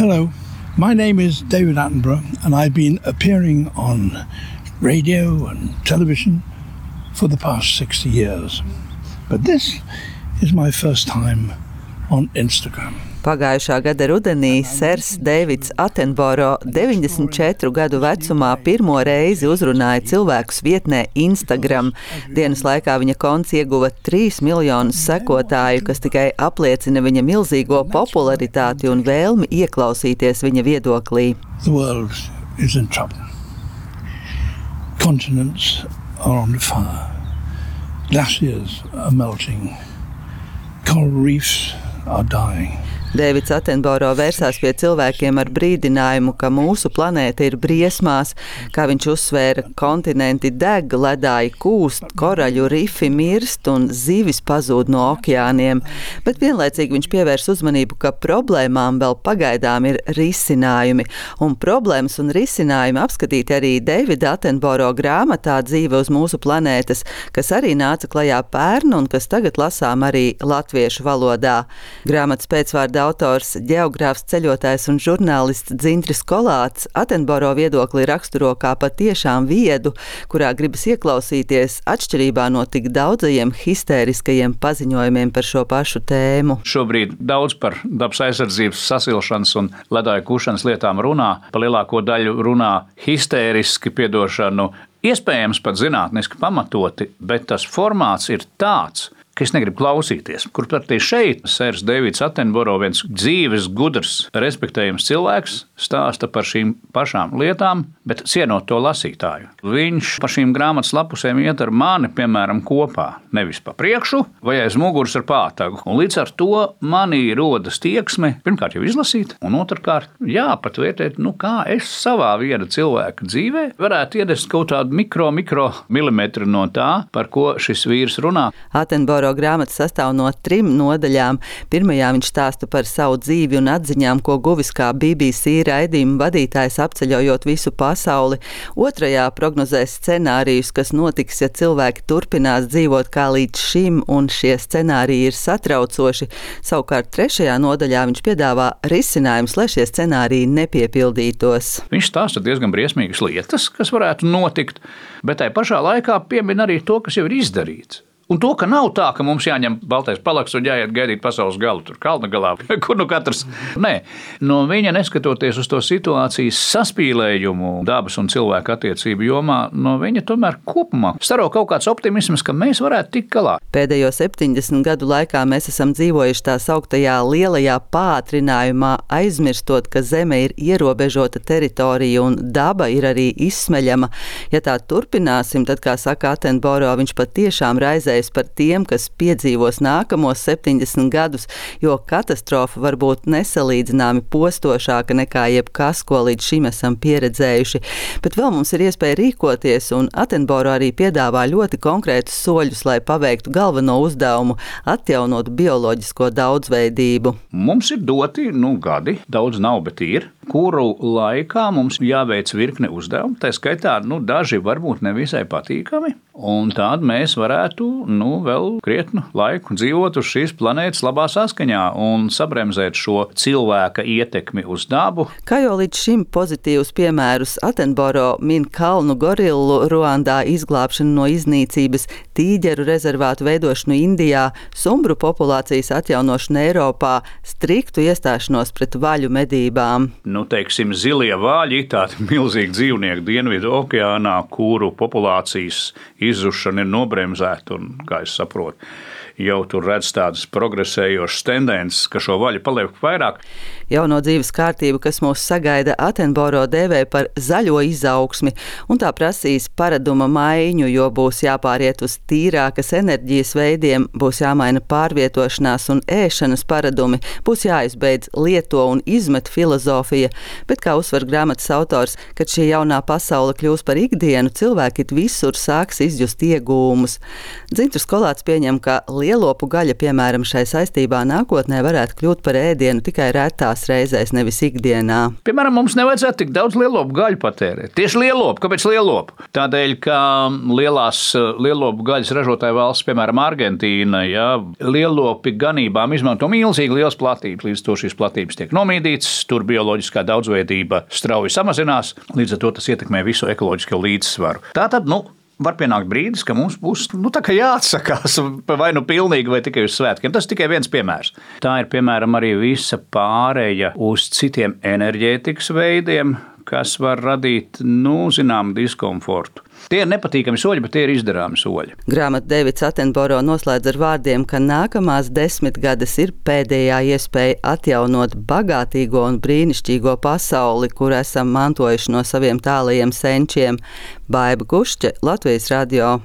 Hello, my name is David Attenborough and I've been appearing on radio and television for the past 60 years. But this is my first time on Instagram. Pagājušā gada rudenī sers Deivids Attenborough 94 gadu vecumā pirmo reizi uzrunāja cilvēkus vietnē Instagram. Dienas laikā viņa konts ieguva 3 miljonus sekotāju, kas tikai apliecina viņa milzīgo popularitāti un vēlmi ieklausīties viņa viedoklī. The world is in trouble. Continents are on fire. Glaciers are melting. Coral reefs are dying. Deivids Attenborough vērsās pie cilvēkiem ar brīdinājumu, ka mūsu planēta ir briesmās, kā viņš uzsvēra, kontinenti deg, ledāji kūst, koraļu rifi mirst un zivis pazūd no okeāniem, bet vienlaicīgi viņš pievērs uzmanību, ka problēmām vēl pagaidām ir risinājumi, un problēmas un risinājumi apskatīti arī Deivida Attenborough grāmatā Dzīve uz mūsu planētas, kas arī nāca klajā pērn un kas tagad lasām arī latviešu valodā. Grāmatas pēcvārda autors, ģeogrāfs, ceļotājs un žurnālists Dzintris Kolāts Attenborough viedokli raksturo kā patiešām viedu, kurā gribas ieklausīties atšķirībā no tik daudzajiem histēriskajiem paziņojumiem par šo pašu tēmu. Šobrīd daudz par dabas aizsardzības, sasilšanas un ledāju kūšanas lietām runā, pa lielāko daļu runā histēriski, piedošanu, iespējams pat zinātniski pamatoti, bet tas formāts ir tāds, ka es negribu klausīties. Kur pretī šeit sērs Deivids Attenborough, viens dzīves, gudrs, respektējams cilvēks, stāsta par šīm pašām lietām, bet cienot to lasītāju. Viņš pa šīm grāmatas lapusēm iet ar mani, piemēram, kopā, nevis pa priekšu vai aiz muguras ar pātagu. Un līdz ar to manī rodas tieksme, pirmkārt jau izlasīt, un otrkārt, pat vērtēt, kā es savā viena cilvēka dzīvē varētu iedest kaut tādu mikro milimetru no tā, par ko šis vīrs runā. Attenborough grāmata sastāv no 3 nodaļām. Pirmajā viņš stāsta par savu dzīvi un atziņām, ko guvis kā BBC raidījuma vadītājs apceļojot visu pasauli. Otrajā prognozē scenārijus, kas notiks, ja cilvēki turpinās dzīvot kā līdz šim, un šie scenāriji ir satraucoši. Savukārt 3. nodaļā viņš piedāvā risinājumus, lai šie scenāriji nepiepildītos. Viņš stāsta diezgan briesmīgas lietas, kas varētu notikt, bet tai pašā laikā piemin arī to, kas jau ir izdarīts. Un to, ka nav tā, ka mums jāņem baltais palaks un jāiet gaidīt pasaules galu, tur kalna galā, kur katrs. Nē, no viņa neskatoties uz to situācijas saspīlējumu dabas un cilvēku attiecību jomā, no viņa tomēr kopumā staro kaut kāds optimisms, ka mēs varētu tikt galā. Pēdējo 70 gadu laikā mēs esam dzīvojuši tā sauktajā lielajā pātrinājumā, aizmirstot, ka Zeme ir ierobežota teritorija un daba ir arī izsmeļama. Ja tā turpināsim, tad, kā saka Attenborough, viņš patiešām raizējas par tiem, kas piedzīvos nākamos 70 gadus, jo katastrofa var būt nesalīdzināmi postošāka nekā jebkas, ko līdz šim esam pieredzējuši. Bet vēl mums ir iespēja rīkoties, un Attenborough arī piedāvā ļoti konkrētus soļus, lai paveiktu galveno uzdevumu – atjaunot bioloģisko daudzveidību. Mums ir doti, gadi, daudz nav, bet ir, kuru laikā mums jāveic virkne uzdevumu, tā skaitā, daži varbūt nevisai patīkami, un tād mēs varētu, vēl krietnu laiku dzīvot uz šīs planētas labā saskaņā un sabremzēt šo cilvēka ietekmi uz dabu. Kā jau līdz šim pozitīvus piemērus Attenborough min kalnu gorillu Ruandā izglābšanu no iznīcības, tīģeru rezervātu veidošanu Indijā, sumbru populācijas atjaunošanu Eiropā, striktu iestāšanos pret vaļu medībām. Teiksim, zilie vāļi, tādi milzīgi dzīvnieki Dienvidu okeānā, kuru populācijas izzušana ir nobremzēta un, kā es saprotu, jau tur redz tādas progresējošas tendences, ka šo vaļu paliek vairāk. Jauno dzīves kārtību, kas mūs sagaida, Attenborough dēvē par zaļo izaugsmi, un tā prasīs paraduma maiņu, jo būs jāpāriet uz tīrākas enerģijas veidiem, būs jāmaina pārvietošanās un ēšanas paradumi, būs jāizbeidz lieto un izmet filozofija, bet, kā uzsver grāmatas autors, kad šī jaunā pasaule kļūs par ikdienu, cilvēki visur sāks izjust iegūmus. Dzintris Kolāts pieņem, ka lielopu gaļa, piemēram, šai saistībā nākotnē varētu kļūt par ēdienu tikai retās dažādās reizēs, nevis ikdienā. Piemēram, mums nevajadzētu tik daudz lielopu gaļu patērēt. Tieši lielopu. Kāpēc lielopu? Tādēļ, ka lielās lielopu gaļas ražotāju valsts, piemēram, Argentīna, lielopi ganībām izmanto milzīgi liels platības. Līdz to šīs platības tiek nomīdītas, tur bioloģiskā daudzveidība strauji samazinās, līdz ar to tas ietekmē visu ekoloģisko līdzsvaru. Tātad, var pienākt brīdis, ka mums būs tā kā jāatsakās vai pilnīgi vai tikai uz svētkiem. Tas tikai viens piemērs. Tā ir, piemēram, arī visa pāreja uz citiem enerģētikas veidiem, kas var radīt, zināmu diskomfortu. Tie ir nepatīkami soļi, bet tie ir izdarāmi soļi. Grāmatu Deivids Attenborough noslēdz ar vārdiem, ka nākamās 10 gadus ir pēdējā iespēja atjaunot bagātīgo un brīnišķīgo pasauli, kur esam mantojuši no saviem tālajiem senčiem. Baiba Gušķe, Latvijas radio.